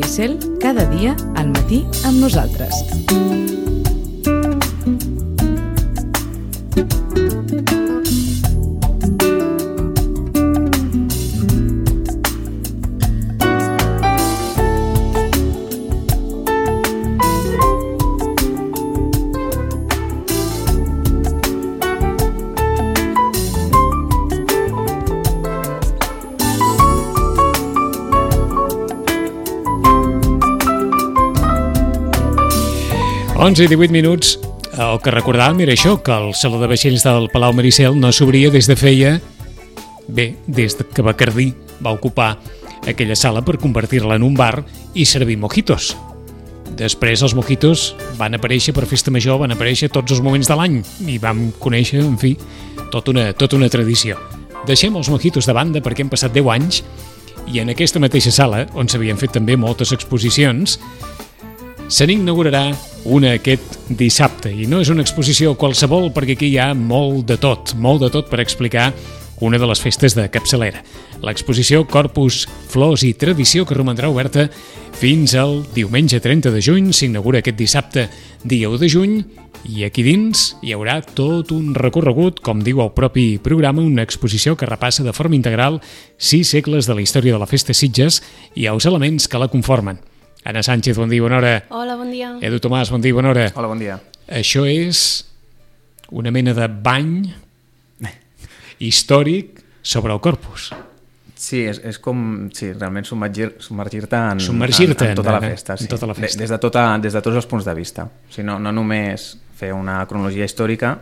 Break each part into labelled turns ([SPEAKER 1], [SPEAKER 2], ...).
[SPEAKER 1] Maricel, cada dia al matí amb nosaltres.
[SPEAKER 2] Onze i 18 minuts. El que recordàvem era això, que el saló de vaixells del Palau Maricel no s'obria des que Bacardí va ocupar aquella sala per convertir-la en un bar i servir mojitos. Després els mojitos van aparèixer per festa major, van aparèixer tots els moments de l'any i vam conèixer, en fi, tota una tradició. Deixem els mojitos de banda perquè han passat 10 anys i en aquesta mateixa sala, on s'havien fet també moltes exposicions, se n'inaugurarà una aquest dissabte. I no és una exposició qualsevol perquè aquí hi ha molt de tot per explicar una de les festes de capçalera. L'exposició Corpus, Flors i Tradició, que romandrà oberta fins al diumenge 30 de juny, s'inaugura aquest dissabte, dia 1 de juny, i aquí dins hi haurà tot un recorregut, com diu el propi programa, una exposició que repassa de forma integral 6 segles de la història de la festa Sitges i els elements que la conformen. Anna Sánchez, bon dia, bona hora.
[SPEAKER 3] Hola, bon dia.
[SPEAKER 2] Edu Tomàs, bon dia, bona hora.
[SPEAKER 4] Hola, bon dia.
[SPEAKER 2] Això és una mena de bany històric sobre el Corpus.
[SPEAKER 4] Sí, és com realment submergir-te en tota la festa. Sí.
[SPEAKER 2] En tota la festa.
[SPEAKER 4] Des de tots els punts de vista. O sigui, no només fer una cronologia històrica,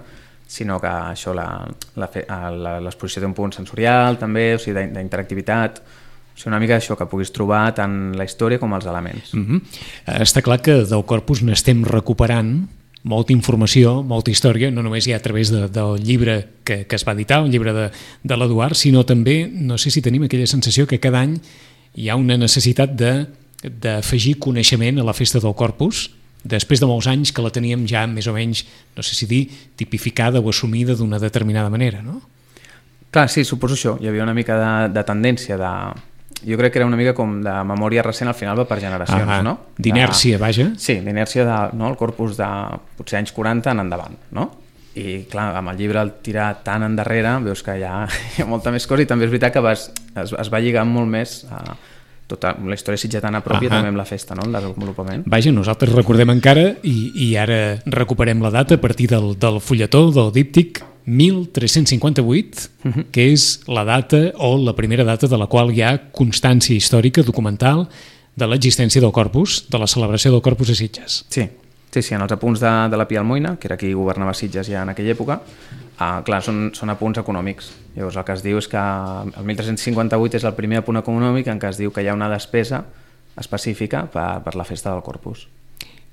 [SPEAKER 4] sinó que això l'exposició té un punt sensorial també, o sigui, d'interactivitat. O sigui, una mica això que puguis trobar tant la història com els elements.
[SPEAKER 2] Està clar que del Corpus n'estem recuperant molta informació, molta història, no només ja a través del llibre que es va editar, un llibre de l'Eduard, sinó també, no sé si tenim aquella sensació que cada any hi ha una necessitat d'afegir coneixement a la festa del Corpus, després de molts anys que la teníem ja més o menys, no sé si dir, tipificada o assumida d'una determinada manera, no?
[SPEAKER 4] Clar, sí, suposo això. Hi havia una mica de tendència jo crec que era una mica com de memòria recent, al final va per generacions, no?
[SPEAKER 2] D'inèrcia, vaja.
[SPEAKER 4] Sí, d'inèrcia del Corpus de potser anys 40 en endavant, no? I clar, amb el llibre al tirar tan endarrere veus que hi ha molta més cosa i també és veritat que es va lligant molt més a tota la història sitgetana pròpia també amb la festa, no? El desenvolupament.
[SPEAKER 2] Vaja, nosaltres recordem encara i ara recuperem la data a partir del fulletó, del díptic 1358, que és la data o la primera data de la qual hi ha constància històrica, documental, de l'existència del Corpus, de la celebració del Corpus a Sitges.
[SPEAKER 4] Sí, en els apunts de la Pia Almoina, que era qui governava Sitges ja en aquella època, clar, són apunts econòmics. Llavors el que es diu és que el 1358 és el primer apunt econòmic en què es diu que hi ha una despesa específica per la festa del Corpus.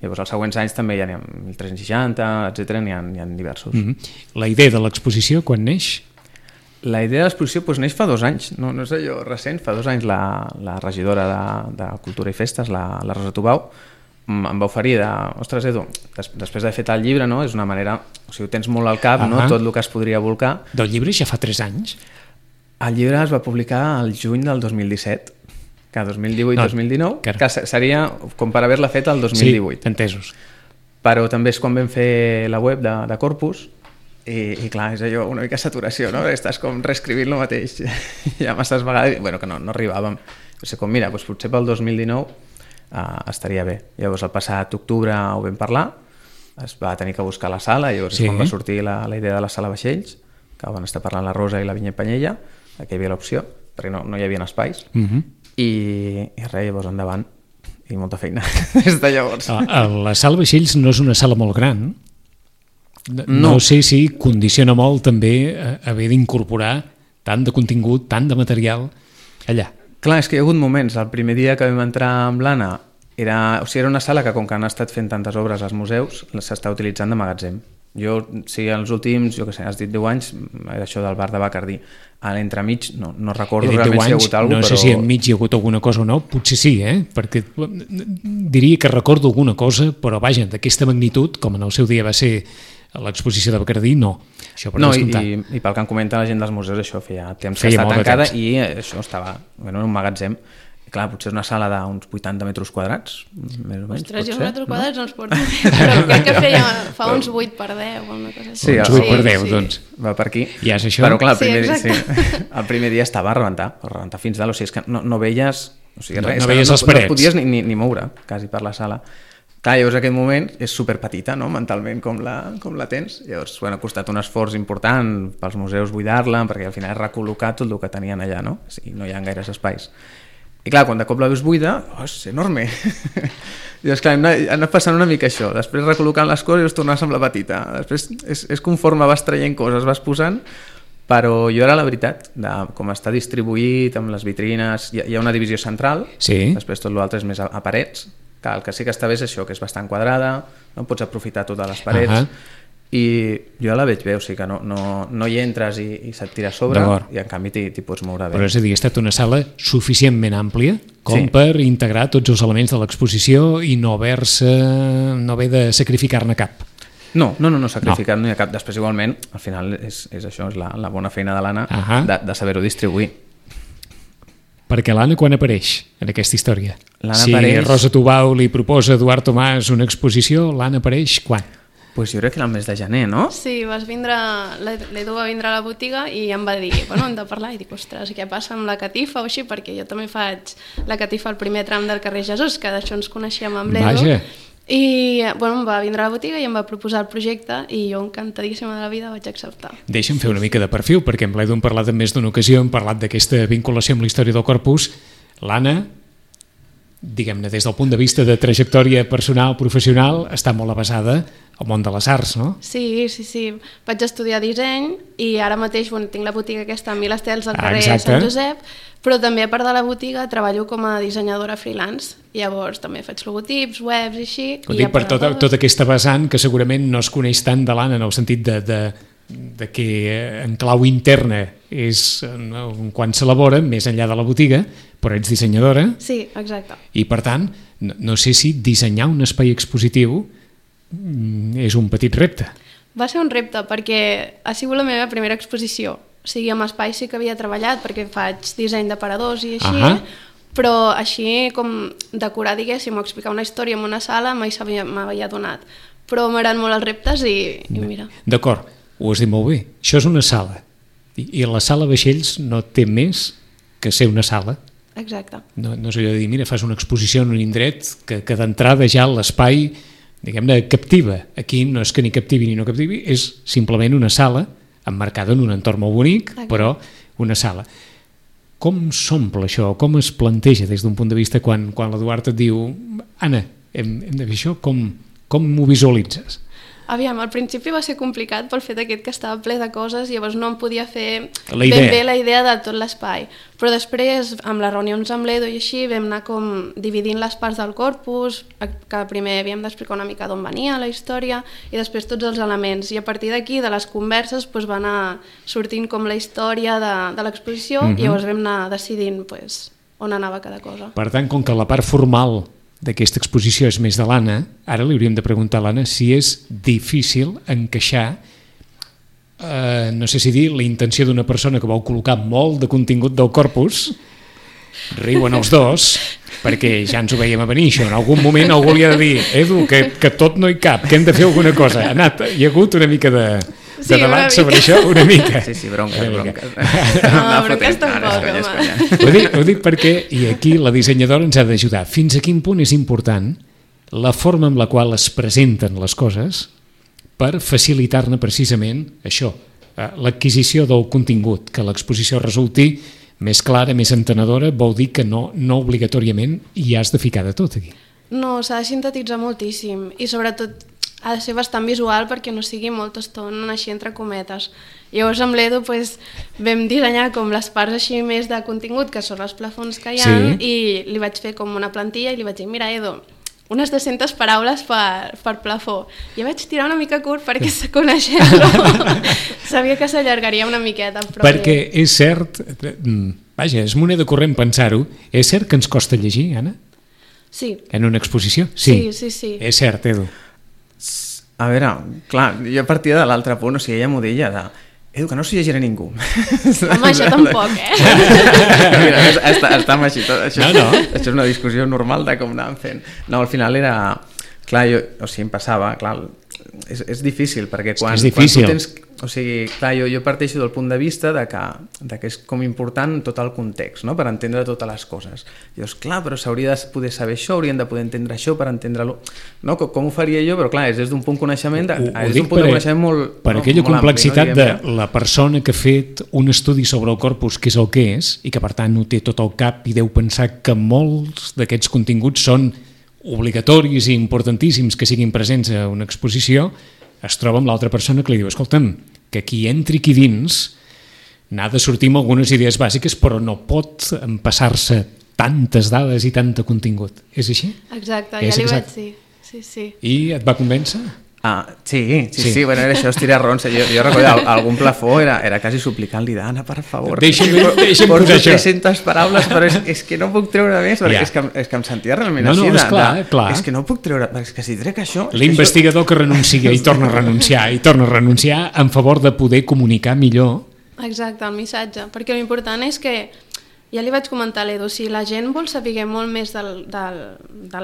[SPEAKER 4] Llavors, els següents anys també hi ha 1360, etc. N'hi ha diversos.
[SPEAKER 2] La idea de l'exposició, quan neix?
[SPEAKER 4] La idea de l'exposició neix fa 2 anys, no és allò recent, fa 2 anys la regidora de Cultura i Festes, la Rosa Tubau, em va oferir ostres, Edu, després d'haver fet el llibre, no? És una manera, o sigui, ho tens molt al cap, no? Tot el que es podria volcar.
[SPEAKER 2] Del llibre ja fa 3 anys?
[SPEAKER 4] El llibre es va publicar al juny del 2017. Que 2018-2019, que seria com per haver-la fet el 2018.
[SPEAKER 2] Sí, entesos.
[SPEAKER 4] Però també és quan vam fer la web de Corpus i clar, és allò una mica saturació, no? Estàs com reescrivint lo mateix ja masses vegades, que no arribàvem. O sigui, com mira, potser pel 2019 estaria bé. Llavors el passat octubre ho vam parlar, es va tenir que buscar la sala, llavors és quan va sortir la idea de la sala vaixells, que van estar parlant la Rosa i la Vinyet Panyella, que hi havia l'opció, perquè no hi havia espais. I res, llavors endavant i molta feina des de llavors.
[SPEAKER 2] La sala vaixells no és una sala molt gran, no sé si condiciona molt també haver d'incorporar tant de contingut, tant de material allà.
[SPEAKER 4] Clar, és que hi ha hagut moments, el primer dia que vam entrar amb l'Anna era una sala que com que han estat fent tantes obres als museus s'està utilitzant de magatzem. Jo, si els últims, has dit 10 anys, era això del bar de Bacardí. A l'entremig no recordo realment si hi ha hagut alguna cosa,
[SPEAKER 2] no sé si enmig hi ha hagut alguna cosa o no, potser sí, perquè diria que recordo alguna cosa, però vaja, d'aquesta magnitud, com en el seu dia va ser l'exposició de Bacardí, no. Això per descomptar.
[SPEAKER 4] I pel que em comenta la gent dels museus, això feia temps que està tancada i això estava en un magatzem. Clar, potser és una sala d'uns 80 metres quadrats, més o menys.
[SPEAKER 3] Ostres, jo els metres quadrats no els porto bé, però crec que fa uns 8 per 10 o una cosa així.
[SPEAKER 4] Sí,
[SPEAKER 2] uns 8 per 10, doncs.
[SPEAKER 4] Va per aquí.
[SPEAKER 2] Ja és això?
[SPEAKER 4] Però clar,
[SPEAKER 3] el
[SPEAKER 4] primer dia estava a rebentar fins dalt, o sigui, és que no veies... O sigui,
[SPEAKER 2] no veies les parets.
[SPEAKER 4] No podies ni moure, quasi, per la sala. Clar, llavors aquest moment és superpetita, no?, mentalment, com la tens. Llavors, ha costat un esforç important pels museus buidar-la, perquè al final és recol·locar tot el que tenien allà, no? O sigui, no hi ha gaires espais. I clar, quan de cop la veus buida, és enorme. I doncs clar, hem anat passant una mica això. Després recol·locant les coses i us tornes amb la petita. Després és conforme vas traient coses, vas posant, però jo era la veritat, com està distribuït amb les vitrines, hi ha una divisió central,
[SPEAKER 2] sí.
[SPEAKER 4] Després tot l'altre és més a parets, que el que sí que està bé és això, que és bastant quadrada, no pots aprofitar totes les parets, i jo la veig bé, o sigui que no hi entres i se't tira a sobre, i en canvi t'hi pots moure bé.
[SPEAKER 2] Però és a dir, ha estat una sala suficientment àmplia com per integrar tots els elements de l'exposició i no haver de sacrificar-ne cap.
[SPEAKER 4] No sacrificar-ne cap. Després igualment, al final és això, és la bona feina de l'Anna, de saber-ho distribuir.
[SPEAKER 2] Perquè l'Anna quan apareix en aquesta història? Si
[SPEAKER 4] apareix...
[SPEAKER 2] Rosa Tubau li proposa a Eduard Tomàs una exposició, l'Anna apareix quan?
[SPEAKER 4] Pues jo crec que era el mes de gener, no?
[SPEAKER 3] Sí, l'Edu va vindre a la botiga i em va dir, hem de parlar, i dic, ostres, què passa amb la catifa o així, perquè jo també faig la catifa al primer tram del carrer Jesús, que d'això ens coneixíem amb l'Edu.
[SPEAKER 2] Vaja.
[SPEAKER 3] I em va vindre a la botiga i em va proposar el projecte i jo encantadíssima de la vida vaig acceptar.
[SPEAKER 2] Deixa'm fer una mica de perfil, perquè amb l'Edu hem parlat en més d'una ocasió, hem parlat d'aquesta vinculació amb la història del Corpus. L'Anna, diguem-ne, des del punt de vista de trajectòria personal, professional, està molt avasada al món de les arts, no?
[SPEAKER 3] Sí. Vaig estudiar disseny i ara mateix tinc la botiga aquesta a Mil Estels al carrer Sant Josep, però també a part de la botiga treballo com a dissenyadora freelance. Llavors també faig logotips, webs i així.
[SPEAKER 2] Ho dic per tota aquesta vessant que segurament no es coneix tant de l'Anna en el sentit de que en clau interna és quan s'elabora, més enllà de la botiga, però ets dissenyadora.
[SPEAKER 3] Sí, exacte.
[SPEAKER 2] I per tant, no sé si dissenyar un espai expositiu és un petit repte.
[SPEAKER 3] Va ser un repte perquè ha sigut la meva primera exposició. O sigui, amb espai sí que havia treballat perquè faig disseny d'aparadors i així, però així com decorar, diguéssim, o explicar una història en una sala mai m'havia donat. Però m'agraden molt els reptes i mira.
[SPEAKER 2] D'acord, ho has dit molt bé. Això és una sala. I la sala vaixells no té més que ser una sala.
[SPEAKER 3] Exacte.
[SPEAKER 2] No és allò de dir, mira, fas una exposició en un indret que d'entrada ja l'espai, diguem-ne, captiva. Aquí no és que ni captivi ni no captivi, és simplement una sala emmarcada en un entorn molt bonic, però una sala. Com s'omple això? Com es planteja des d'un punt de vista quan l'Eduard et diu Anna, hem de fer això? Com m'ho visualitzes?
[SPEAKER 3] Aviam, al principi va ser complicat pel fet aquest que estava ple de coses i llavors no em podia fer
[SPEAKER 2] ben
[SPEAKER 3] bé la idea de tot l'espai. Però després, amb les reunions amb l'Edu i així, vam anar com dividint les parts del corpus, que primer havíem d'explicar una mica d'on venia la història i després tots els elements. I a partir d'aquí, de les converses, va anar sortint com la història de l'exposició i llavors vam anar decidint on anava cada cosa.
[SPEAKER 2] Per tant, com que la part formal d'aquesta exposició és més de l'Anna, ara li hauríem de preguntar a l'Anna si és difícil encaixar, no sé si dir, la intenció d'una persona que vol col·locar molt de contingut del corpus, riuen els dos, perquè ja ens ho veiem a venir, això. En algun moment algú li ha de dir, Edu, que tot no hi cap, que hem de fer alguna cosa. Hi ha hagut una mica de debat sobre això, una mica.
[SPEAKER 4] Sí, bronques.
[SPEAKER 3] No, bronques tampoc, home.
[SPEAKER 2] Ho dic perquè, i aquí la dissenyadora ens ha d'ajudar, fins a quin punt és important la forma amb la qual es presenten les coses per facilitar-ne precisament això, l'adquisició del contingut, que l'exposició resulti més clara, més entenedora, vol dir que no obligatòriament hi has de ficar de tot aquí.
[SPEAKER 3] No, s'ha de sintetitzar moltíssim i sobretot ha de ser bastant visual perquè no sigui molta estona així entre cometes. Llavors amb l'Edu vam dissenyar com les parts així més de contingut, que són els plafons que hi ha, i li vaig fer com una plantilla i li vaig dir, mira Edu, unes 200 paraules per plafó. I vaig tirar una mica curt perquè coneixent-lo sabia que s'allargaria una miqueta.
[SPEAKER 2] Perquè és cert, vaja, és moneda corrent pensar-ho, és cert que ens costa llegir, Anna?
[SPEAKER 3] Sí.
[SPEAKER 2] En una exposició?
[SPEAKER 3] Sí.
[SPEAKER 2] És cert, Edu.
[SPEAKER 4] A veure, clar, jo partia de l'altre punt, o sigui, ella m'ho deia, Edu, que no s'hi llegirà ningú.
[SPEAKER 3] Home, això tampoc,
[SPEAKER 4] Mira, estàvem així. Això és una discussió normal de com anàvem fent. No, al final era... Clar, em passava, clar, és difícil, perquè quan tu tens... O sigui, clar, jo parteixo del punt de vista de que és com important tot el context, no?, per entendre totes les coses. Dius, clar, però s'hauria de poder saber això, haurien de poder entendre això per entendre-lo. No? Com ho faria jo? Però clar, és des d'un punt de coneixement, molt...
[SPEAKER 2] Per aquella complexitat de la persona que ha fet un estudi sobre el corpus, que és el que és, i que per tant no té tot el cap i deu pensar que molts d'aquests continguts són obligatoris i importantíssims que siguin presents a una exposició, es troba amb l'altra persona que li diu, escolta'm, que qui entri aquí dins n'ha de sortir amb algunes idees bàsiques, però no pot empassar-se tantes dades i tant de contingut. És així?
[SPEAKER 3] Exacte, ja li vaig dir. Sí.
[SPEAKER 2] I et va convèncer?
[SPEAKER 4] Sí, bueno, era això, estirar ronça. Jo recordo, algun plafó era quasi suplicant-li, Anna, per favor,
[SPEAKER 2] deixa'm
[SPEAKER 4] porto 300 paraules, però és que no puc treure més, perquè és que em sentia realment així.
[SPEAKER 2] Clar.
[SPEAKER 4] És que no puc treure, és que si trec això...
[SPEAKER 2] L'investigador que renuncia i torna a renunciar en favor de poder comunicar millor.
[SPEAKER 3] Exacte, el missatge, perquè l'important és que, ja li vaig comentar a l'Edu, si la gent vol saber molt més de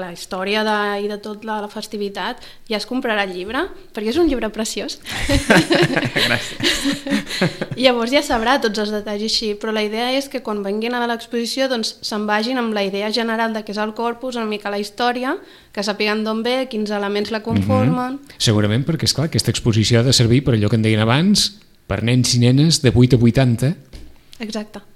[SPEAKER 3] la història i de tota la festivitat, ja es comprarà el llibre, perquè és un llibre preciós.
[SPEAKER 4] Gràcies.
[SPEAKER 3] I llavors ja sabrà tots els detalls així, però la idea és que quan venguin a l'exposició doncs se'n vagin amb la idea general de què és el corpus, una mica la història, que sàpiguen d'on ve, quins elements la conformen...
[SPEAKER 2] Segurament perquè, esclar, aquesta exposició ha de servir per allò que en deien abans, per nens i nenes de 8 a 80.
[SPEAKER 3] Exacte.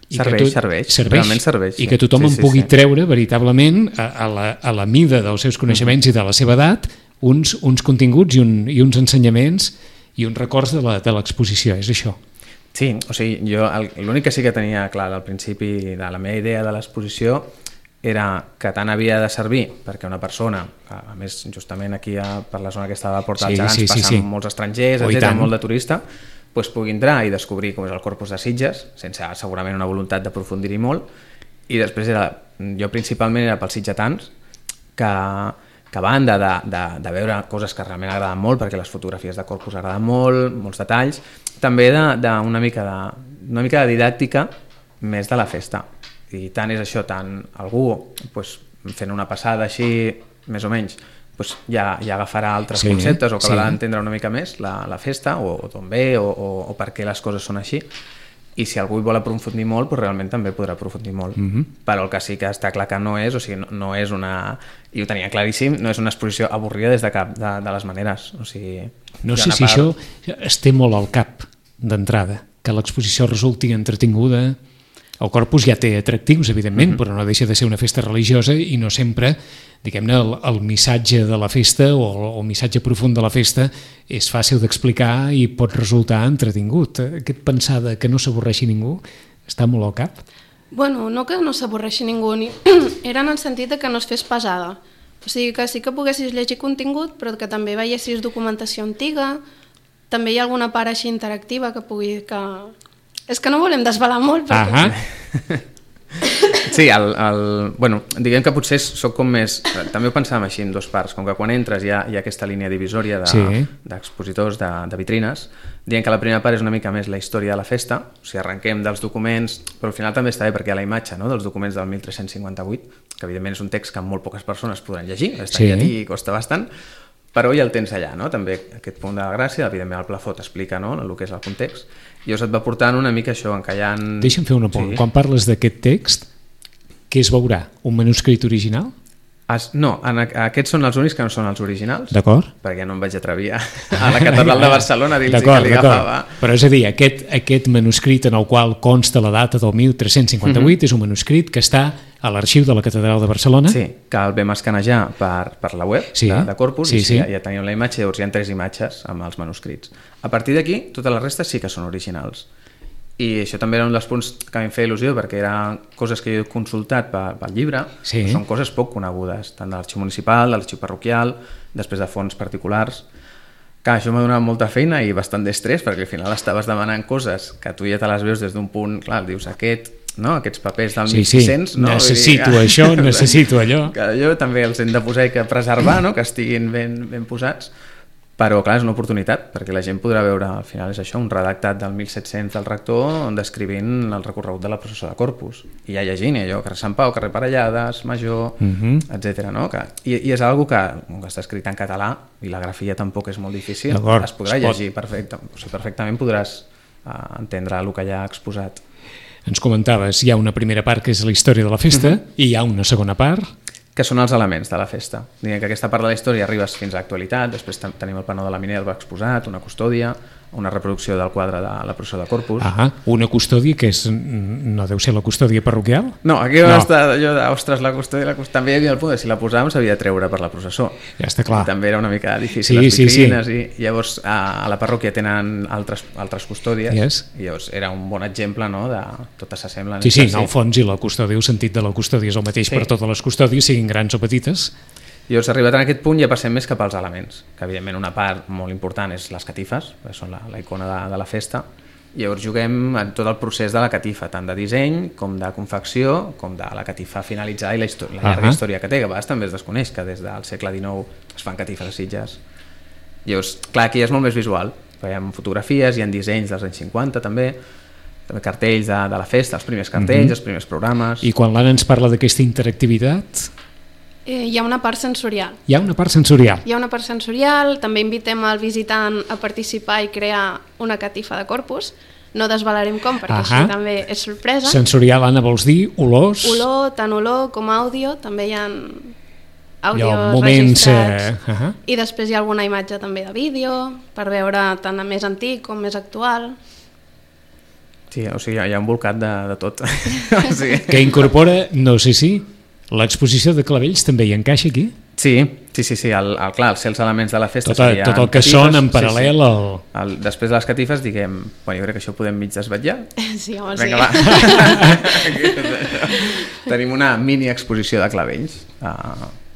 [SPEAKER 4] Realment serveix.
[SPEAKER 2] I que tothom pugui treure veritablement a la mida dels seus coneixements i de la seva edat uns continguts i uns ensenyaments i uns records de l'exposició, és això.
[SPEAKER 4] Sí, o sigui, jo l'únic que sí que tenia clar al principi de la meva idea de l'exposició era que tant havia de servir perquè una persona, a més justament aquí per la zona que estava a Porta dels Gegants passen molts estrangers, molt de turista, pugui entrar i descobrir com és el corpus de Sitges, sense segurament una voluntat d'aprofundir-hi molt, i després jo principalment era pels sitgetans que a banda de veure coses que realment agraden molt, perquè les fotografies de corpus agraden molt, molts detalls, també d'una mica de didàctica més de la festa. I tant és això, tant algú fent una passada així, més o menys, ja agafarà altres conceptes o acabarà d'entendre una mica més la festa o d'on ve o per què les coses són així, i si algú hi vol aprofundir molt realment també podrà aprofundir molt, però el que sí que està clar que no és, o sigui, no és una, i ho tenia claríssim, no és una exposició avorrida des de cap de les maneres, o sigui...
[SPEAKER 2] No sé si això es té molt al cap d'entrada, que l'exposició resulti entretinguda. El corpus ja té atractius, evidentment, però no deixa de ser una festa religiosa i no sempre, diguem-ne, el missatge de la festa o el missatge profund de la festa és fàcil d'explicar i pot resultar entretingut. Aquest pensar que no s'avorreixi ningú està molt al cap?
[SPEAKER 3] Bueno, no que no s'avorreixi ningú, era en el sentit que no es fes pesada. O sigui, que sí que poguessis llegir contingut, però que també veiessis documentació antiga, també hi ha alguna part així interactiva que pugui... És que no volem desvelar molt, perquè...
[SPEAKER 4] Sí, bueno, diguem que potser soc com més... També ho pensàvem així en dues parts, com que quan entres hi ha aquesta línia divisòria d'expositors, de vitrines, dient que la primera part és una mica més la història de la festa, o sigui, arrenquem dels documents, però al final també està bé perquè hi ha la imatge dels documents del 1358, que evidentment és un text que molt poques persones podran llegir, està en llatí i costa bastant, però ja el tens allà, també aquest punt de la gràcia, evidentment el plafó t'explica el que és el context, i llavors et va portant una mica això, encallant...
[SPEAKER 2] Deixa'm fer un apunt, quan parles d'aquest text, què es veurà? Un manuscrit original?
[SPEAKER 4] No, aquests són els únics que no són els originals,
[SPEAKER 2] d'acord,
[SPEAKER 4] perquè no em vaig atrevir a la catedral de Barcelona a dir-los que li agafava.
[SPEAKER 2] Però és a dir, aquest manuscrit en el qual consta la data del 1358 és un manuscrit que està a l'arxiu de la catedral de Barcelona.
[SPEAKER 4] Sí, que el vam escanejar per la web de Corpus i ja teníem la imatge, llavors hi ha 3 imatges amb els manuscrits. A partir d'aquí, totes les restes sí que són originals. I això també era un dels punts que em feia il·lusió, perquè eren coses que jo he consultat pel llibre, són coses poc conegudes, tant de l'arxiu municipal, de l'arxiu parroquial, després de fonts particulars. Que això m'ha donat molta feina i bastant d'estrès, perquè al final estaves demanant coses que tu ja te les veus des d'un punt, clar, dius aquests papers del 1600...
[SPEAKER 2] Necessito això, necessito allò.
[SPEAKER 4] Que allò també els hem de posar i que preservar, que estiguin ben posats. Però, clar, és una oportunitat, perquè la gent podrà veure, al final és això, un redactat del 1700 del rector descrivint el recorregut de la processó de Corpus. I ja llegint allò, carrer Sant Pau, carrer Parellades, Major, etc. No? I és algo que està escrit en català i la grafia tampoc és molt difícil. Es podrà llegir perfectament, podràs entendre el que ja ha exposat.
[SPEAKER 2] Ens comentaves, hi ha una primera part que és la història de la festa i hi ha una segona part
[SPEAKER 4] que són els elements de la festa. Diguem que aquesta part de la història arribes fins a l'actualitat, després tenim el panó de la Minerva exposat, una custòdia, una reproducció del quadre de la processó de Corpus.
[SPEAKER 2] Una custòdia que no deu ser la custòdia parroquial?
[SPEAKER 4] No, aquí va estar allò ostres, la custòdia, també hi havia el punt de si la posàvem s'havia de treure per la processó.
[SPEAKER 2] Ja està clar.
[SPEAKER 4] I també era una mica difícil, les vitrines, i llavors a la parròquia tenen altres custòdies, i llavors era un bon exemple, no?, de totes s'assemblen.
[SPEAKER 2] Sí, en el fons, i la custòdia, el sentit de la custòdia és el mateix per totes les custòdies, siguin grans o petites.
[SPEAKER 4] Llavors, arribat en aquest punt, ja passem més cap als elements, que evidentment una part molt important és les catifes, que són la icona de la festa. Llavors juguem en tot el procés de la catifa, tant de disseny com de confecció, com de la catifa finalitzada i la llarga història que té, que a vegades també es desconeix, que des del segle XIX es fan catifes a Sitges. Llavors, clar, aquí és molt més visual, hi ha fotografies, hi ha dissenys dels anys 50 també cartells de la festa, els primers cartells, els primers programes...
[SPEAKER 2] I quan l'Anna ens parla d'aquesta interactivitat...
[SPEAKER 3] Hi ha una part sensorial.
[SPEAKER 2] Hi ha una part sensorial.
[SPEAKER 3] Hi ha una part sensorial, també invitem al visitant a participar i crear una catifa de Corpus. No desvelarem com, perquè això també és sorpresa.
[SPEAKER 2] Sensorial, Anna, vols dir olors?
[SPEAKER 3] Tant olor com àudio, també hi ha àudios registrats. I després hi ha alguna imatge també de vídeo, per veure tant més antic com més actual.
[SPEAKER 4] Sí, o sigui, hi ha un bolcat de tot.
[SPEAKER 2] Que incorpora, no sé si... L'exposició de clavells també hi encaixa aquí?
[SPEAKER 4] Sí, clar, els elements de la festa
[SPEAKER 2] serien... Tot el que són en paral·lel
[SPEAKER 4] després de les catifes, diguem... Jo crec que això ho podem mig desvetllar.
[SPEAKER 3] Sí, home,
[SPEAKER 4] sí. Vinga, va. Tenim una mini exposició de clavells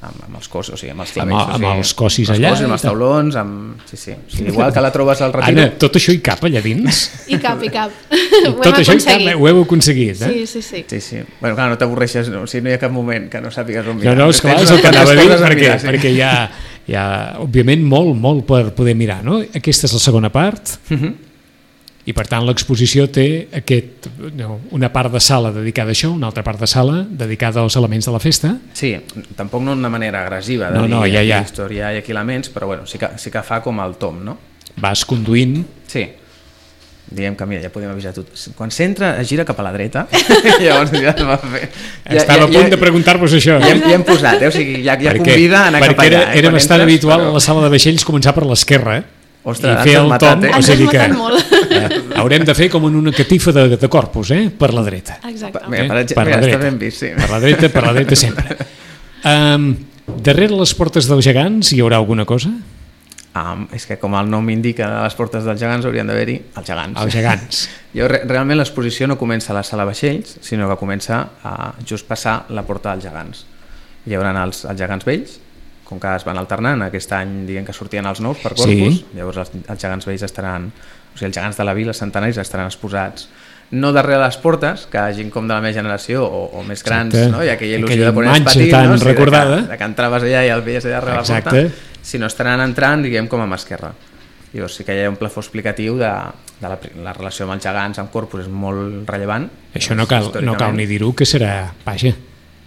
[SPEAKER 4] amb els cossos, o sigui, amb els clavells.
[SPEAKER 2] Amb els cossis allà.
[SPEAKER 4] Amb els taulons, sí. Igual que la trobes al Retiro.
[SPEAKER 2] Anna, tot això hi cap allà dins?
[SPEAKER 3] Hi cap.
[SPEAKER 2] Tot això hi cap, ho heu aconseguit,
[SPEAKER 3] eh? Sí.
[SPEAKER 4] Bueno, clar, no t'avorreixes, no hi ha cap moment que no sàpigues on mirar.
[SPEAKER 2] No, esclar, és el que anava a dir, perquè hi ha, òbviament, molt per poder mirar, no? Aquesta és la segona part, i per tant l'exposició té una part de sala dedicada a això, una altra part de sala dedicada als elements de la festa.
[SPEAKER 4] Sí, tampoc no d'una manera agressiva de dir aquí història i aquí elements, però bueno, sí que fa com el tom, no?
[SPEAKER 2] Vas conduint.
[SPEAKER 4] Sí, diguem que mira, ja podem avisar tot. Quan s'entra es gira cap a la dreta, llavors ja es va fer.
[SPEAKER 2] Estava a punt de preguntar-vos això.
[SPEAKER 4] Ja hem posat, o sigui, ja convida a anar cap allà.
[SPEAKER 2] Perquè era bastant habitual a la sala de vaixells començar per l'esquerra,
[SPEAKER 4] ostres,
[SPEAKER 2] i fer el tom,
[SPEAKER 3] o sigui que
[SPEAKER 2] haurem de fer com en una catifa de Corpus, per la dreta.
[SPEAKER 3] Exactament.
[SPEAKER 4] Per la dreta ben vist, sí.
[SPEAKER 2] Per la dreta sempre. Darrere les portes dels gegants hi haurà alguna cosa?
[SPEAKER 4] És que com el nom indica, a les portes dels gegants haurien d'haver-hi els gegants.
[SPEAKER 2] Els gegants.
[SPEAKER 4] Realment l'exposició no comença a la sala vaixells, sinó que comença a just passar la porta dels gegants. Hi haurà els gegants vells, com que es van alternant, aquest any diguem que sortien els nous per Corpus, llavors els gegants vells estaran, o sigui, els gegants de la vila, els centenaris, estaran exposats no darrere les portes, que gent com de la meva generació o més grans, no? Hi ha aquella il·lusió de ponents petits, no? De que entraves allà i el veies allà darrere la porta, sinó estaran entrant, diguem, com a mà esquerra. Llavors sí que hi ha un plafó explicatiu de la relació amb els gegants, amb Corpus, és molt rellevant.
[SPEAKER 2] Això no cal ni dir-ho, que serà, vaja,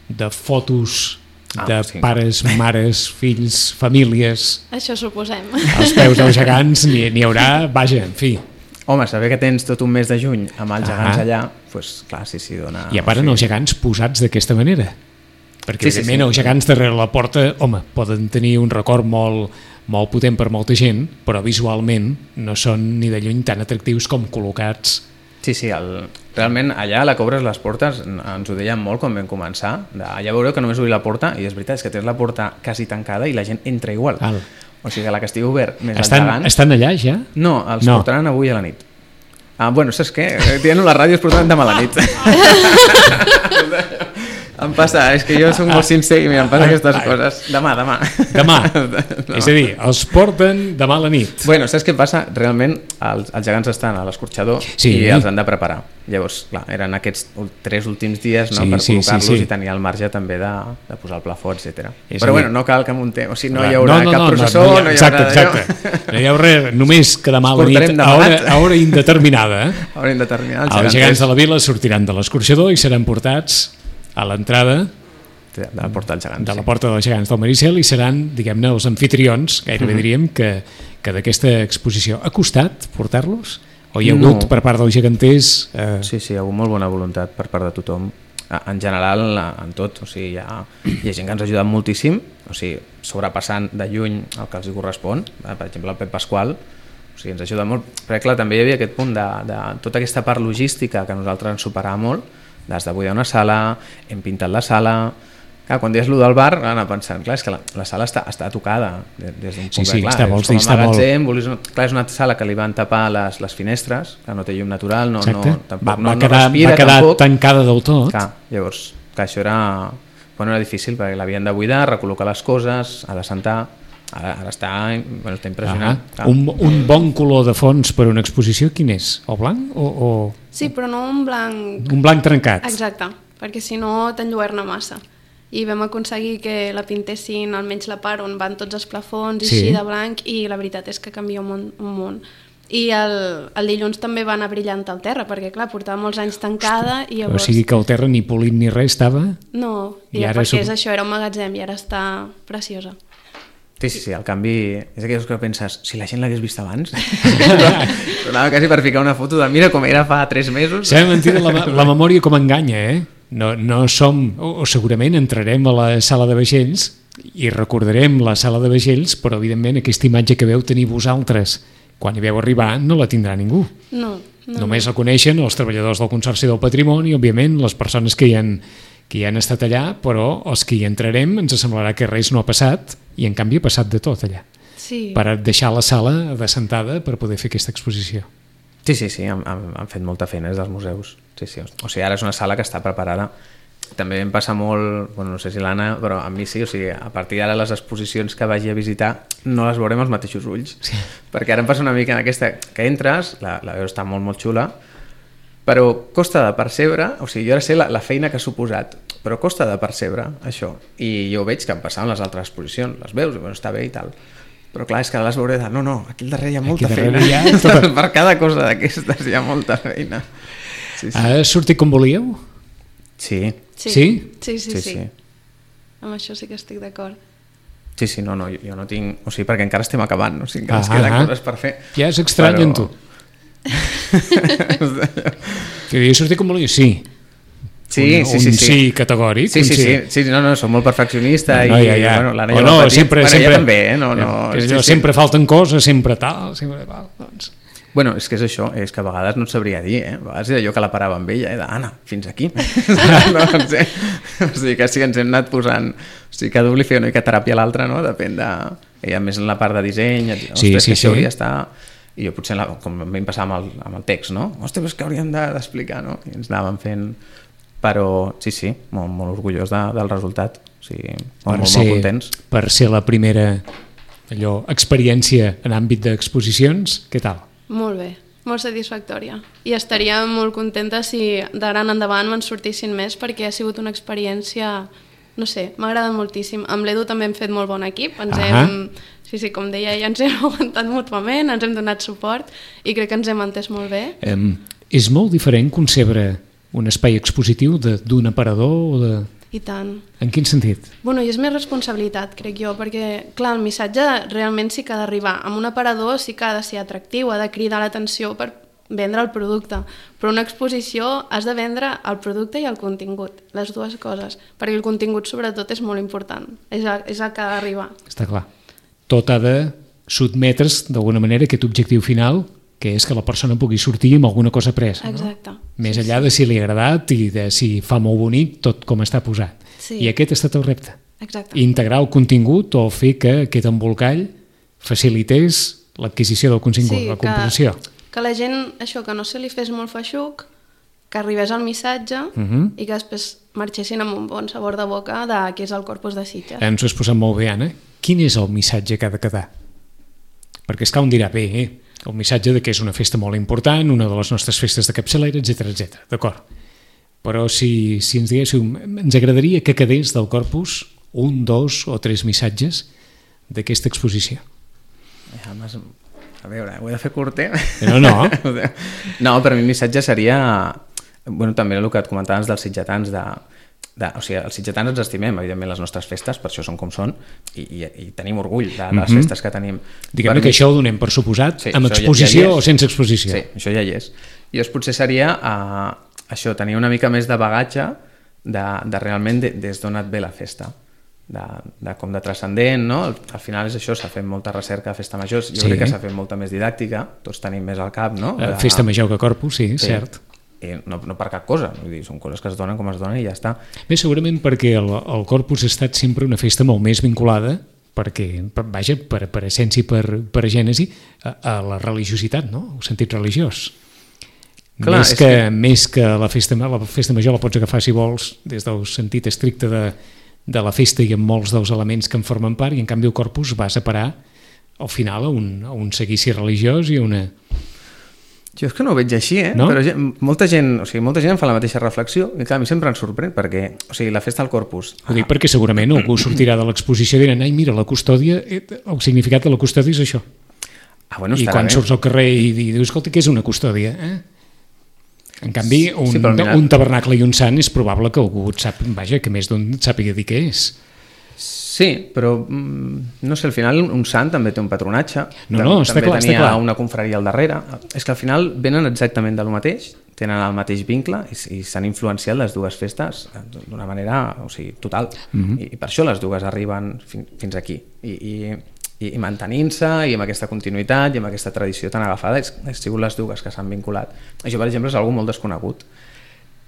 [SPEAKER 2] de fotos de pares, mares, fills, famílies.
[SPEAKER 3] Això suposem.
[SPEAKER 2] Als peus dels gegants n'hi haurà, vaja, en fi.
[SPEAKER 4] Home, saber que tens tot un mes de juny amb els gegants allà, doncs clar, sí, dona...
[SPEAKER 2] I a part els gegants posats d'aquesta manera. Perquè evidentment els gegants darrere la porta, home, poden tenir un record molt potent per molta gent, però visualment no són ni de lluny tan atractius com col·locats.
[SPEAKER 4] Sí, realment allà a la Cobres les portes ens ho deien molt quan vam començar, allà veureu que només obrir la porta i és veritat, és que tens la porta quasi tancada i la gent entra igual. O sigui que la que estigui obert més els gegants...
[SPEAKER 2] Estan allà ja?
[SPEAKER 4] No, els portaran avui a la nit. Bueno, saps què? Dient-ho a la ràdio es portaran demà a la nit. Em passa, és que jo soc molt sincer i em passa aquestes coses. Demà.
[SPEAKER 2] Demà. És a dir, els porten demà a la nit.
[SPEAKER 4] Bueno, saps què passa? Realment els gegants estan a l'escorxador i els han de preparar. Llavors, clar, eren aquests 3 últims dies, no, per col·locar-los i tenir el marge també de posar el plafó, etc. Però bueno, no cal que muntem, o sigui, no hi haurà cap processó, no hi haurà...
[SPEAKER 2] Exacte. No hi haurà res, només que demà a la nit, a hora indeterminada.
[SPEAKER 4] A hora indeterminada.
[SPEAKER 2] Els gegants de la vila sortiran de l'escorxador i seran portats a l'entrada
[SPEAKER 4] de la porta dels gegants.
[SPEAKER 2] De la porta dels gegants del Maricel i seran, diguem-ne, els anfitrions, gairebé diríem, que d'aquesta exposició. Ha costat portar-los? O hi ha hagut per part dels geganters...
[SPEAKER 4] Sí, hi ha hagut molt bona voluntat per part de tothom. En general, en tot. O sigui, hi ha gent que ens ha ajudat moltíssim, o sigui, sobrepassant de lluny el que els correspon. Per exemple, el Pep Pasqual, o sigui, ens ajuda molt. Però clar, també hi havia aquest punt de tota aquesta part logística que a nosaltres ens superava molt. Has de buidar una sala, hem pintat la sala... Clar, quan deies allò del bar, anar pensant, clar, és que la sala està tocada des d'un punt de clar.
[SPEAKER 2] Està molt, està molt.
[SPEAKER 4] Clar, és una sala que li van tapar les finestres, que no té llum natural,
[SPEAKER 2] va quedar tancada del tot.
[SPEAKER 4] Clar, llavors, clar, això era difícil, perquè l'havien de buidar, recol·locar les coses, ha de sentar... Ara està impressionant.
[SPEAKER 2] Un bon color de fons per una exposició, quin és? O blanc?
[SPEAKER 3] Sí, però no un blanc...
[SPEAKER 2] Un blanc trencat.
[SPEAKER 3] Exacte, perquè si no t'enlluerna massa. I vam aconseguir que la pintessin almenys la part on van tots els plafons i així de blanc, i la veritat és que canvia un munt. I el dilluns també va anar brillant al terra, perquè clar, portava molts anys tancada i llavors...
[SPEAKER 2] O sigui que el terra ni polit ni res estava?
[SPEAKER 3] No, perquè això era un magatzem i ara està preciosa.
[SPEAKER 4] Sí, el canvi és aquells que penses, si la gent l'hagués vist abans, sonava quasi per ficar una foto de mira com era fa 3 mesos.
[SPEAKER 2] S'ha mentida la memòria com enganya, No som, o segurament entrarem a la sala de vaixells i recordarem la sala de vaixells, però evidentment aquesta imatge que veu tenir vosaltres quan hi veu arribar no la tindrà ningú.
[SPEAKER 3] No.
[SPEAKER 2] Només la coneixen els treballadors del Consorci del Patrimoni, òbviament les persones que hi han estat allà, però els que hi entrarem ens semblarà que res no ha passat i en canvi ha passat de tot allà.
[SPEAKER 3] Sí.
[SPEAKER 2] Per deixar la sala descentada per poder fer aquesta exposició.
[SPEAKER 4] Sí, han fet molta feina des dels museus. Sí. O sigui, ara és una sala que està preparada. També em passa molt, no sé si l'Anna, però a mi sí, o sigui, a partir d'ara les exposicions que vagi a visitar no les veurem als mateixos ulls. Sí. Perquè ara em passa una mica en aquesta, que entres, la veus està molt, molt xula, però costa de percebre, o sigui, jo ara sé la feina que ha suposat, però costa de percebre això. I jo veig que em passaven les altres exposicions, les veus, i està bé i tal. Però clar, és que les veuré de... No, aquí al darrere hi ha molta feina. Per cada cosa d'aquestes hi ha molta feina. Sí.
[SPEAKER 2] Ha sortit com volíeu?
[SPEAKER 4] Sí.
[SPEAKER 3] Sí. Amb això sí que estic d'acord.
[SPEAKER 4] Sí, no, jo no tinc... O sigui, perquè encara estem acabant, o sigui, encara ens queden coses per fer.
[SPEAKER 2] Ja és estrany en tu. Que havia sortit com volíeu? Sí. Sí categòric.
[SPEAKER 4] Sí, no, som molt perfeccionista i bueno, l'Anna
[SPEAKER 2] ja sempre
[SPEAKER 4] també,
[SPEAKER 2] sempre falten coses, sempre tal, doncs.
[SPEAKER 4] Bueno, és que és això, és que a vegades no et sabria dir, a vegades era jo que la parava amb ella, d'Anna, fins aquí. No sé. O sigui que sí, ens hem anat posant, o sigui, cada un li feia una mica teràpia a l'altre, no? Depèn de... Ella més en la part de disseny, ostres, que això hauria d'estar... I jo potser, com a mi em passava amb el text, no? Ostres, és que hauríem d'explicar, no? I ens anàvem fent... Però sí, molt orgullós del resultat, o sigui, molt contents.
[SPEAKER 2] Per ser la primera experiència en àmbit d'exposicions, què tal?
[SPEAKER 3] Molt bé, molt satisfactòria. I estaria molt contenta si d'ara en endavant me'n sortissin més, perquè ha sigut una experiència, no sé, m'ha agradat moltíssim. Amb l'Edu també hem fet molt bon equip, sí, com deia ella, ens hem aguantat mútuament, ens hem donat suport i crec que ens hem entès molt bé.
[SPEAKER 2] És molt diferent concebre un espai expositiu d'un aparador o de...
[SPEAKER 3] I tant.
[SPEAKER 2] En quin sentit?
[SPEAKER 3] Bueno, i és més responsabilitat, crec jo, perquè, clar, el missatge realment sí que ha d'arribar. Amb un aparador sí que ha de ser atractiu, ha de cridar l'atenció per vendre el producte, però una exposició has de vendre el producte i el contingut, les dues coses, perquè el contingut sobretot és molt important, és el que ha d'arribar.
[SPEAKER 2] Està clar. Tot ha de sotmetre's d'alguna manera aquest objectiu final, que és que la persona pugui sortir amb alguna cosa presa.
[SPEAKER 3] Exacte.
[SPEAKER 2] No? Més enllà de si li ha agradat i de si fa molt bonic tot com està posat.
[SPEAKER 3] Sí.
[SPEAKER 2] I aquest ha estat el repte.
[SPEAKER 3] Exacte.
[SPEAKER 2] Integrar el contingut o fer que aquest embolcall facilités l'adquisició del contingut, la composició.
[SPEAKER 3] Que la gent, això, que no se li fes molt feixuc, que arribés el missatge i que després marxessin amb un bon sabor de boca de què és el Corpus de Sitges.
[SPEAKER 2] Ens ho has posat molt bé, Anna. Quin és el missatge que ha de quedar? Perquè és que un dirà, bé, el missatge de que és una festa molt important, una de les nostres festes de capçalera, etc. D'acord. Però si ens diguéssiu, ens agradaria que quedés del Corpus 1, 2 o 3 missatges d'aquesta exposició.
[SPEAKER 4] A veure, ho he de fer curter?
[SPEAKER 2] No.
[SPEAKER 4] No, per mi el missatge seria... Bueno, també el que et comentaves dels sitgetans, o sigui, els sitgetans ens estimem, evidentment, les nostres festes, per això són com són, i tenim orgull de les festes que tenim.
[SPEAKER 2] Diguem-ne que això ho donem per suposat, sí, amb exposició o sense exposició.
[SPEAKER 4] Sí, això ja hi és. I llavors potser seria això, tenir una mica més de bagatge de realment des d'on et ve la festa. Com de transcendent, no? Al final és això, s'ha fet molta recerca de festa major, jo crec que s'ha fet molta més didàctica, tots tenim més al cap, no?
[SPEAKER 2] Festa major que Corpus, sí, cert.
[SPEAKER 4] No per cap cosa, vull dir, són coses que es donen com es donen i ja està.
[SPEAKER 2] Bé, segurament perquè el Corpus ha estat sempre una festa molt més vinculada, perquè, vaja, per essència i per gènesi, a la religiositat, no? El sentit religiós. Clar, més que la festa major la pots agafar, si vols, des del sentit estricte de la festa i amb molts dels elements que en formen part, i en canvi el Corpus va separar al final a un seguici religiós i a una...
[SPEAKER 4] Jo és que no ho veig així, no? Però molta gent em fa la mateixa reflexió i clar, a mi sempre em sorprèn perquè, o sigui, la festa del Corpus...
[SPEAKER 2] Ho dic perquè segurament algú sortirà de l'exposició i dirà, ai, mira, la custòdia, el significat de la custòdia és això.
[SPEAKER 4] Bueno,
[SPEAKER 2] i quan surts al carrer i dius, escolta, què és una custòdia? En canvi, un tabernacle i un sant és probable que algú que més d'un sàpiga dir què és.
[SPEAKER 4] Sí, però no sé, al final un sant també té un patronatge,
[SPEAKER 2] està clar.
[SPEAKER 4] També tenia una confraria al darrere. És que al final venen exactament del mateix, tenen el mateix vincle i s'han influenciat les dues festes d'una manera, o sigui, total. I per això les dues arriben fins aquí. I mantenint-se i amb aquesta continuïtat i amb aquesta tradició tan agafada han sigut les dues que s'han vinculat. Això, per exemple, és algo molt desconegut.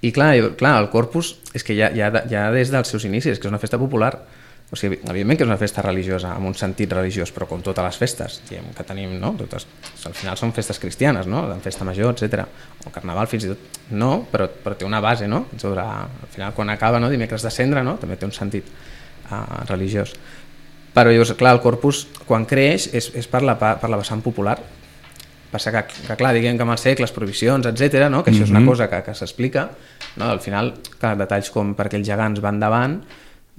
[SPEAKER 4] I clar, el Corpus és que ja des dels seus inicis, que és una festa popular. O sigui, evidentment que és una festa religiosa, amb un sentit religiós, però com totes les festes que tenim, no? Totes, al final són festes cristianes, no? La festa major, etc. O carnaval, fins i tot. No, però té una base, no? Al final, quan acaba, no? Dimecres de Cendre, no? També té un sentit religiós. Però llavors, clar, el Corpus, quan creix, és per la vessant popular. Passa que clar, diguem que amb els segles, prohibicions, etc., no? Que això és una cosa que s'explica, no? Al final, clar, detalls com perquè els gegants van davant,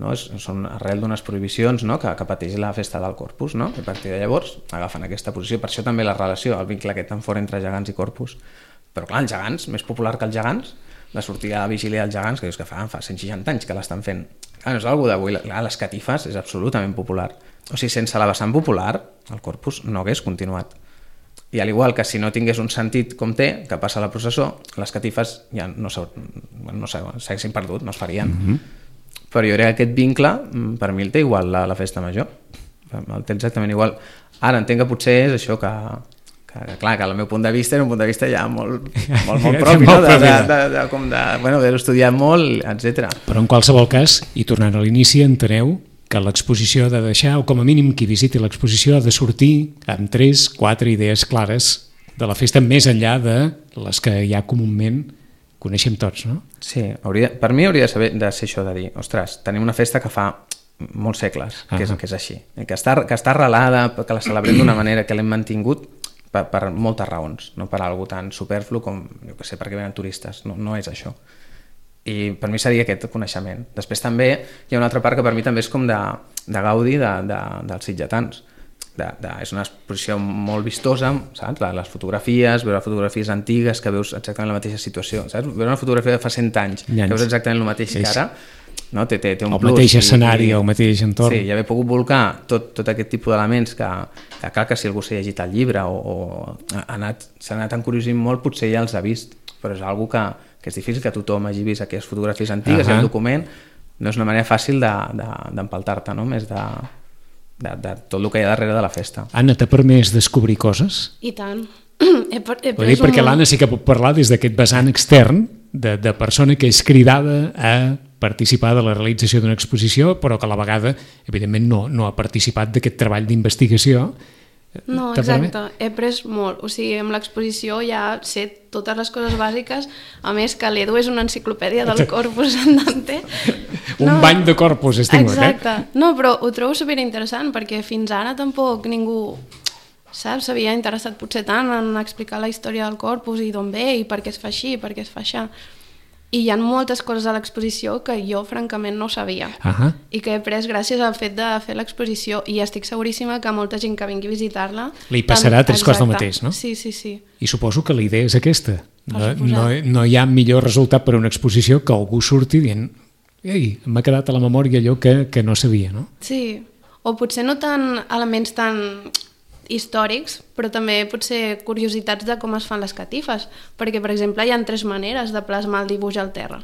[SPEAKER 4] no? Són arrel d'unes prohibicions, no? que pateix la festa del Corpus, no? I a partir de llavors agafen aquesta posició. Per això també la relació, el vincle aquest tan fort entre gegants i Corpus. Però clar, els gegants, més popular que els gegants, la sortida de la vigília dels gegants, que dius que fa 160 anys que l'estan fent. Clar, no és algú d'avui, les catifes és absolutament popular. O sigui, sense la vessant popular, el Corpus no hagués continuat. I al igual que si no tingués un sentit com té, que passa a la processó, les catifes ja no s'haguessin perdut, no es farien. Però jo crec que aquest vincle, per mi el té igual la festa major. El té exactament igual. Ara entenc que potser és això que clar, que el meu punt de vista era un punt de vista ja molt propi, no? D'haver-ho estudiat molt, etc.
[SPEAKER 2] Però en qualsevol cas, i tornant a l'inici, enteneu que l'exposició ha de deixar, o com a mínim qui visiti l'exposició ha de sortir amb 3-4 idees clares de la festa, més enllà de les que ja comúment coneixem tots, no?
[SPEAKER 4] Sí, per mi hauria de ser això de dir, ostres, tenim una festa que fa molts segles, que és així, que està arrelada, que la celebrem d'una manera que l'hem mantingut per moltes raons, no per algo tan superflu com, jo què sé, perquè venen turistes, no és això. I per mi seria aquest coneixement. Després també hi ha una altra part que per mi també és com de gaudi dels sitgetans. És una exposició molt vistosa, saps? Les fotografies, veure fotografies antigues que veus exactament la mateixa situació, saps? Veure una fotografia de fa 100 anys, que veus exactament el mateix que ara, no? Té un plus.
[SPEAKER 2] El mateix escenari, el mateix entorn.
[SPEAKER 4] Sí, i haver pogut volcar tot aquest tipus d'elements que clar que si algú s'ha llegit el llibre o s'ha anat encuriosint molt, potser ja els ha vist, però és una cosa que és difícil que tothom hagi vist aquelles fotografies antigues i el document no és una manera fàcil d'empaltar-te, no? Més de tot el que hi ha darrere de la festa.
[SPEAKER 2] Anna, t'ha permès descobrir coses?
[SPEAKER 3] I tant.
[SPEAKER 2] Perquè l'Anna sí que pot parlar des d'aquest vessant extern de persona que és cridada a participar de la realització d'una exposició, però que a la vegada, evidentment, no ha participat d'aquest treball d'investigació
[SPEAKER 3] No,
[SPEAKER 2] T'ha permès?
[SPEAKER 3] exacte, he après molt, o sigui, amb l'exposició ja sé totes les coses bàsiques, a més que l'Edu és una enciclopèdia del corpus andante.
[SPEAKER 2] Un bany de corpus has tingut,
[SPEAKER 3] exacte. No, però ho trobo superinteressant, perquè fins ara tampoc ningú, saps, s'havia interessat potser tant en explicar la història del corpus i d'on ve i per què es fa així, per què es fa això. I hi ha moltes coses a l'exposició que jo francament no sabia i que he après gràcies al fet de fer l'exposició, i estic seguríssima que molta gent que vingui a visitar-la
[SPEAKER 2] li passarà tres coses del mateix, no?
[SPEAKER 3] Sí, sí, sí.
[SPEAKER 2] I suposo que la idea és aquesta. No hi ha millor resultat per a una exposició que algú surti dient ei, m'ha quedat a la memòria allò que no sabia, no?
[SPEAKER 3] Sí, o potser no tant elements tan històrics, però també potser curiositats de com es fan les catifes, perquè, per exemple, hi ha 3 maneres de plasmar el dibuix al terra.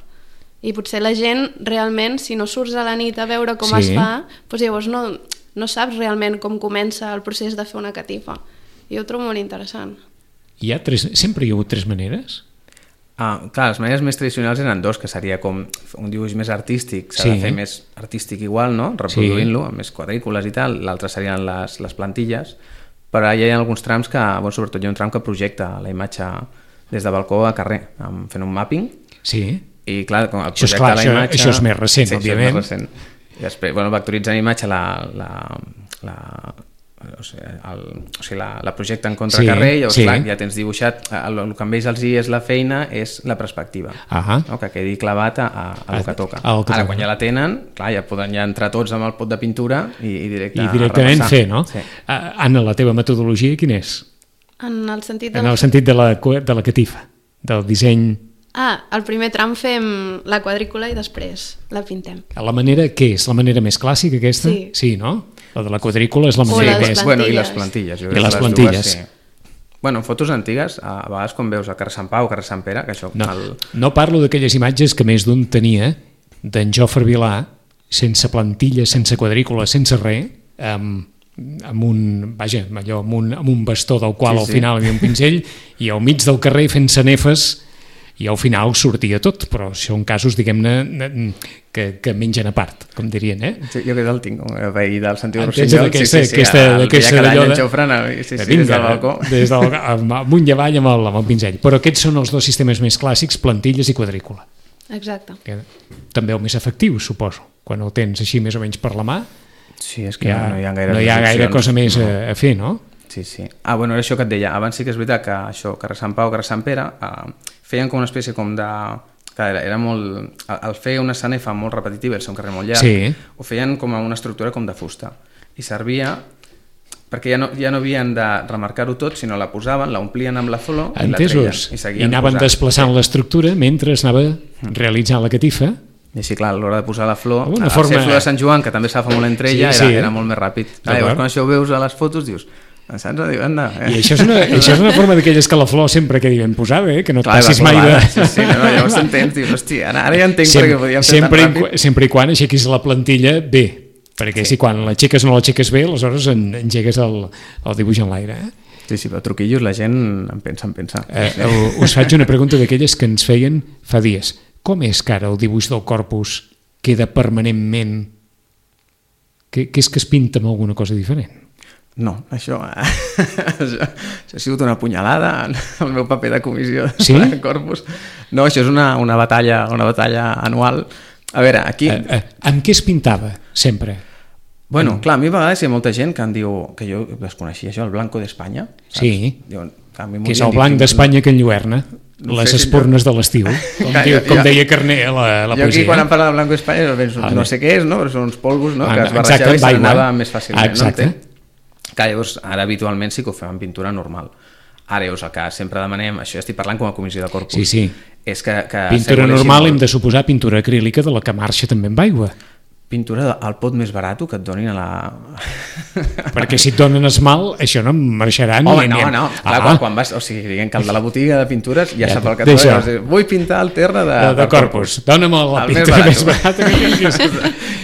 [SPEAKER 3] I potser la gent, realment, si no surts a la nit a veure com es fa, doncs llavors no saps realment com comença el procés de fer una catifa. I ho trobo molt interessant.
[SPEAKER 2] Sempre hi ha hagut 3 maneres?
[SPEAKER 4] Clar, les maneres més tradicionals eren 2, que seria com un dibuix més artístic, s'ha de fer més artístic igual, no? Reproduint-lo, amb més quadrícules i tal. L'altre serien les plantilles, però hi ha alguns trams que, sobretot hi ha un tram que projecta la imatge des de balcó a carrer, fent un mapping.
[SPEAKER 2] Sí.
[SPEAKER 4] I clar, com això és clar,
[SPEAKER 2] això és més recent, òbviament.
[SPEAKER 4] Això és més recent. I després, vectoritzant imatge la projecta en contracarrer i llavors clar, ja tens dibuixat el que amb ells els hi és la feina és la perspectiva, que quedi clavat a lo que toca. Ara quan ja la tenen, clar, ja poden entrar tots amb el pot de pintura i
[SPEAKER 2] directament fer, no? Anna, la teva metodologia quina és?
[SPEAKER 3] En el sentit
[SPEAKER 2] de la catifa, del disseny.
[SPEAKER 3] El primer tram fem la quadrícula i després la pintem.
[SPEAKER 2] La manera, què és? La manera més clàssica aquesta? Sí, no? La de la quadrícula és la manera més...
[SPEAKER 3] I
[SPEAKER 4] les plantilles.
[SPEAKER 2] I les plantilles.
[SPEAKER 4] En fotos antigues, a vegades quan veus a carrer Sant Pau o carrer Sant Pere, que això...
[SPEAKER 2] No parlo d'aquelles imatges que més d'un tenia, d'en Jofre Vilà, sense plantilla, sense quadrícula, sense res, amb un bastó del qual al final hi havia un pinzell, i al mig del carrer fent sanefes, i al final sortia tot, però són casos, diguem-ne, que mengen a part, com dirien, eh?
[SPEAKER 4] Sí, jo aquest el tinc, el veí del Santiago Rossinyol.
[SPEAKER 2] Aquesta d'allò
[SPEAKER 4] des del balcó.
[SPEAKER 2] Amunt i avall amb el pinzell. Però aquests són els 2 sistemes més clàssics, plantilles i quadrícula.
[SPEAKER 3] Exacte.
[SPEAKER 2] També el més efectiu, suposo, quan el tens així més o menys per la mà.
[SPEAKER 4] Sí, és que no
[SPEAKER 2] hi ha gaire cosa més a fer, no?
[SPEAKER 4] Sí. Era això que et deia. Abans sí que és veritat que això, carrer Sant Pau, carrer Sant Pere, feien com una espècie com de... Era molt... Al fer una sanefa molt repetitiva, el ser un carrer molt llarg, ho feien com una estructura com de fusta. I servia perquè ja no havien de remarcar-ho tot, sinó la posaven, la omplien amb la flor i la treien.
[SPEAKER 2] I anaven desplaçant l'estructura mentre anava realitzant la catifa.
[SPEAKER 4] I així, clar, a l'hora de posar la flor, ser flor de Sant Joan, que també s'agafa molt entre ella, era molt més ràpid. Llavors, quan això ho veus a les fotos, dius... Saps?
[SPEAKER 2] I això és una forma d'aquelles que la flor sempre quedi ben posada, que no et passis mai de...
[SPEAKER 4] Llavors t'entens, dius, hòstia, ara ja entenc perquè podíem fer tan ràpid.
[SPEAKER 2] Sempre i quan aixequis la plantilla bé, perquè si quan l'aixeques o no l'aixeques bé, aleshores engegues el dibuix en l'aire.
[SPEAKER 4] Sí, però truquillos la gent en pensa.
[SPEAKER 2] Us faig una pregunta d'aquelles que ens feien fa dies. Com és que ara el dibuix del corpus queda permanentment... Que és que es pinta amb alguna cosa diferent?
[SPEAKER 4] No, això ha sigut una punyalada al meu paper de comissió de corpus. No, això és una batalla anual. A veure, aquí...
[SPEAKER 2] Amb què es pintava, sempre?
[SPEAKER 4] Bueno, clar, a mi a vegades hi ha molta gent que em diu, que jo desconeixia això, el blanco d'Espanya.
[SPEAKER 2] Sí, que és el blanc d'Espanya que enlluerna les espurnes de l'estiu, com deia Carner a la poesia.
[SPEAKER 4] Jo aquí quan em parla de blanco d'Espanya no sé què és, però són uns polvos que es barrejava i s'anava més fàcilment.
[SPEAKER 2] Exacte.
[SPEAKER 4] Clar, llavors, ara habitualment sí que ho fem en pintura normal. Ara, llavors, el que sempre demanem, això ja estic parlant com a comissió de corpus, és que
[SPEAKER 2] pintura normal hem de suposar pintura acrílica de la que marxa també amb aigua.
[SPEAKER 4] Pintura al pot més barat que et donin a la...
[SPEAKER 2] Perquè si et donen esmalt, això no marxarà ni...
[SPEAKER 4] Home, no. Clar, quan vas... O sigui, diguem que el de la botiga de pintures ja sap el que et donen. Vull pintar el terra de corpus.
[SPEAKER 2] Dóna'm la pintura més barata que tinguis.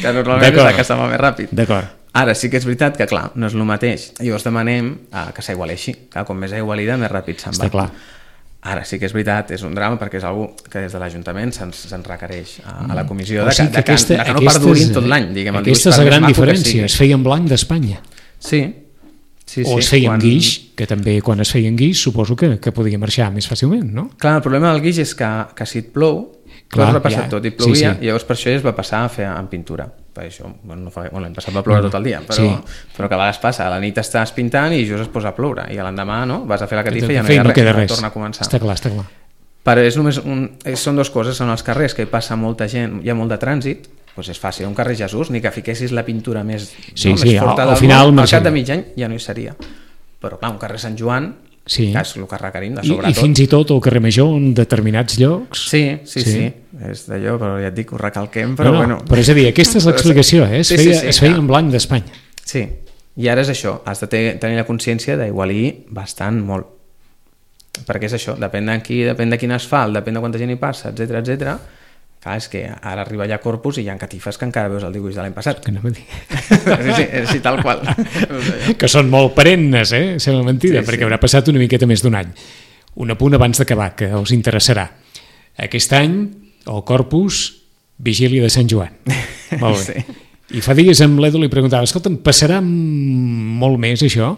[SPEAKER 4] Que normalment és la que se va més ràpid.
[SPEAKER 2] D'acord.
[SPEAKER 4] Ara sí que és veritat que, clar, no és el mateix. Llavors demanem que s'aigualeixi. Com més aigualida, més ràpid se'n va.
[SPEAKER 2] Està clar.
[SPEAKER 4] Ara sí que és veritat, és un drama perquè és algú que des de l'Ajuntament se'ns requereix a la comissió que no perdurin tot l'any.
[SPEAKER 2] Aquesta és la gran diferència, es feia en blanc d'Espanya.
[SPEAKER 4] Sí,
[SPEAKER 2] O es feia amb guix, que també quan es feia amb guix suposo que podia marxar més fàcilment, no?
[SPEAKER 4] Clar, el problema del guix és que si et plou,
[SPEAKER 2] clar,
[SPEAKER 4] tot repassat tot, i plovia, i llavors per això es va passar a fer en pintura. Per això, l'any passat va ploure tot el dia, però que a vegades passa, a la nit estàs pintant i just es posa a ploure, i a l'endemà vas a fer la catifa i ja no hi ha res, torna a començar.
[SPEAKER 2] Està clar.
[SPEAKER 4] Però són dues coses, són els carrers que hi passa molta gent, hi ha molt de trànsit, doncs és fàcil, un carrer Jesús, ni que fiquessis la pintura més forta del món, al cap de mig any ja no hi seria. Però clar, un carrer Sant Joan, que és el que requerim de sobretot.
[SPEAKER 2] I fins i tot el carrer Major en determinats llocs.
[SPEAKER 4] Sí, és d'allò, però ja et dic, ho recalquem, però bueno.
[SPEAKER 2] Però és a dir, aquesta és l'explicació, es feia en blanc d'Espanya.
[SPEAKER 4] Sí, i ara és això, has de tenir la consciència d'aigualir bastant molt. Perquè és això, depèn de quin asfalt, depèn de quanta gent hi passa, etcètera. Clar, és que ara arriba allà Corpus i hi ha catifes que encara veus el dibuix de l'any passat.
[SPEAKER 2] Que no m'ho dic.
[SPEAKER 4] Sí, és així tal qual.
[SPEAKER 2] Que són molt perennes, sembla mentida, perquè haurà passat una miqueta més d'un any. Un apunt abans d'acabar, que us interessarà. Aquest any, el Corpus, vigília de Sant Joan. Molt bé. I fa dies amb l'Edu li preguntava, escolta'm, passarà molt més això?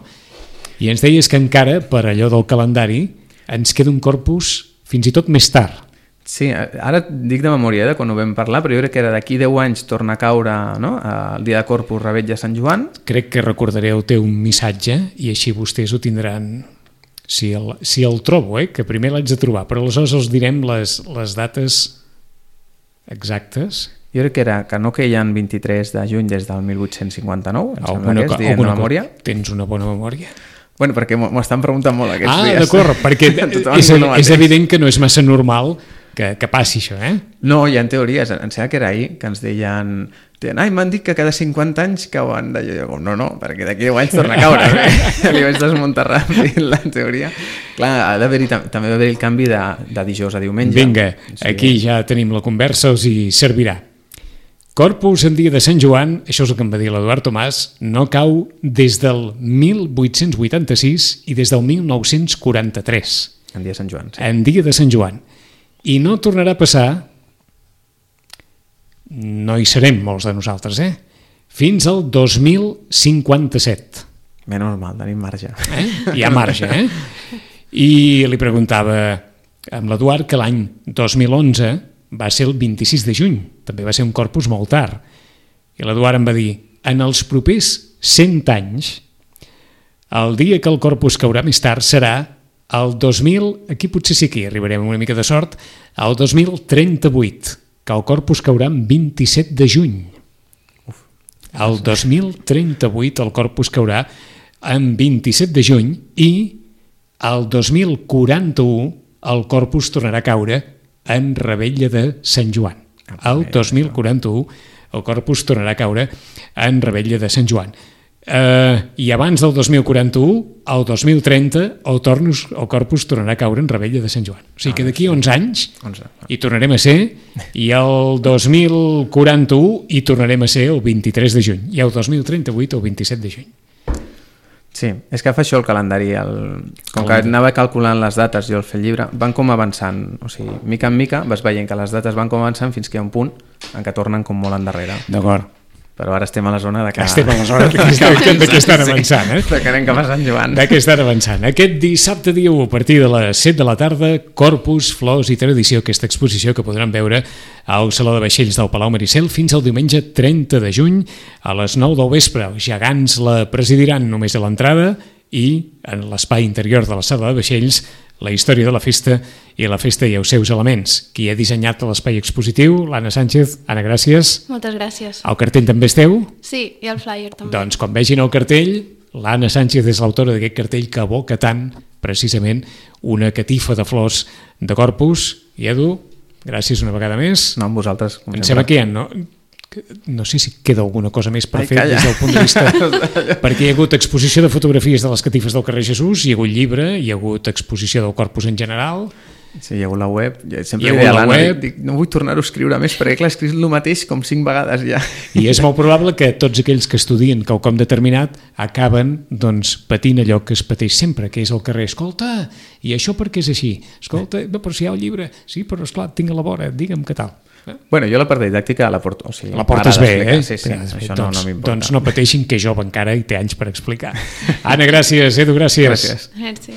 [SPEAKER 2] I ens deies que encara, per allò del calendari, ens queda un Corpus fins i tot més tard.
[SPEAKER 4] Sí, ara dic de memòria de quan ho vam parlar, però jo crec que era d'aquí 10 anys torna a caure, no? El dia de Corpus, Revetlla, Sant Joan. Crec
[SPEAKER 2] que recordareu el teu missatge i així vostès ho tindran, si el trobo, que primer l'haig de trobar, però aleshores els direm les dates exactes.
[SPEAKER 4] Jo crec que no queien 23 de juny des del 1859, em sembla que és, dient de memòria.
[SPEAKER 2] Tens una bona memòria?
[SPEAKER 4] Bueno, perquè m'ho estan preguntant molt aquests dies.
[SPEAKER 2] D'acord, perquè és evident que no és massa normal que passi això,
[SPEAKER 4] No, hi ha teories, em sembla que era ahir, que ens deien m'han dit que cada 50 anys cauen d'allò. No, perquè d'aquí 10 anys torna a caure. Li vaig desmuntar ràpid la teoria. Clar, també va haver el canvi de dijous a diumenge.
[SPEAKER 2] Vinga, aquí ja tenim la conversa, us hi servirà. Corpus en dia de Sant Joan, això és el que em va dir l'Eduard Tomàs, no cau des del 1886 i des del 1943.
[SPEAKER 4] En dia de Sant Joan, sí.
[SPEAKER 2] En dia de Sant Joan. I no tornarà a passar, no hi serem molts de nosaltres, fins al 2057.
[SPEAKER 4] Menys mal, tenim marge.
[SPEAKER 2] Hi ha marge, I li preguntava amb l'Eduard que l'any 2011 va ser el 26 de juny, també va ser un Corpus molt tard. I l'Eduard em va dir, en els propers 100 anys, el dia que el Corpus caurà més tard serà el 2000, aquí potser sí que hi arribarem una mica de sort, el 2038, que el Corpus caurà en 27 de juny. El 2038 el Corpus caurà en 27 de juny i el 2041 el Corpus tornarà a caure en Revetlla de Sant Joan. El 2041 el Corpus tornarà a caure en Revetlla de Sant Joan. I abans del 2041, el 2030, el Corpus tornarà a caure en Revetlla de Sant Joan. O sigui que d'aquí 11 anys hi tornarem a ser, i el 2041 hi tornarem a ser el 23 de juny, i el 2038 el 27 de juny.
[SPEAKER 4] Sí, és que fa això el calendari. Com que anava calculant les dates i el fer el llibre, van com avançant. O sigui, mica en mica vas veient que les dates van com avançant fins que hi ha un punt en què tornen com molt endarrere.
[SPEAKER 2] D'acord.
[SPEAKER 4] Però ara estem a la zona de que...
[SPEAKER 2] Estem a la zona de que estan avançant,
[SPEAKER 4] De que anem cap a Sant Joan.
[SPEAKER 2] De que estan avançant. Aquest dissabte dia 1, a partir de les 7 de la tarda, Corpus, Flors i Tradició, aquesta exposició que podran veure al Saló de Vaixells del Palau Maricel fins al diumenge 30 de juny a les 9 del vespre. Els gegants la presidiran només a l'entrada i en l'espai interior de la sala de vaixells la història de la festa i la festa i els seus elements. Qui ha dissenyat l'espai expositiu? L'Anna Sánchez. Anna, gràcies.
[SPEAKER 3] Moltes gràcies.
[SPEAKER 2] El cartell també és teu?
[SPEAKER 3] Sí, i el flyer també.
[SPEAKER 2] Doncs quan vegin el cartell, l'Anna Sánchez és l'autora d'aquest cartell que evoca tant, precisament, una catifa de flors de Corpus. I Edu, gràcies una vegada més.
[SPEAKER 4] No, amb vosaltres.
[SPEAKER 2] Em sembla que hi ha, no sé si queda alguna cosa més per fer des del punt de vista, perquè hi ha hagut exposició de fotografies de les catifes del carrer Jesús, hi ha hagut llibre, hi ha hagut exposició del Corpus en general.
[SPEAKER 4] Sí, hi ha hagut la web. Jo sempre
[SPEAKER 2] Hi ha
[SPEAKER 4] li deia
[SPEAKER 2] hagut
[SPEAKER 4] a
[SPEAKER 2] la
[SPEAKER 4] l'Anna,
[SPEAKER 2] web.
[SPEAKER 4] dic, no vull tornar-ho a escriure més, perquè clar, he escrit el mateix com 5 vegades ja.
[SPEAKER 2] I és molt probable que tots aquells que estudien quelcom determinat acaben doncs, patint allò que es pateix sempre, que és al carrer. Escolta, i això per què és així? Escolta, no, però si hi ha el llibre. Sí, però esclar, tinc a la vora, digue'm què tal.
[SPEAKER 4] Bueno, jo la part didàctica la porto. O sigui,
[SPEAKER 2] La portes bé,
[SPEAKER 4] m'agrada
[SPEAKER 2] eh?
[SPEAKER 4] explicar. Sí, això
[SPEAKER 2] doncs,
[SPEAKER 4] no m'importa.
[SPEAKER 2] doncs no pateixin, que és jove encara i té anys per explicar. Anna, gràcies. Edu, gràcies.
[SPEAKER 4] Gràcies.
[SPEAKER 3] Merci.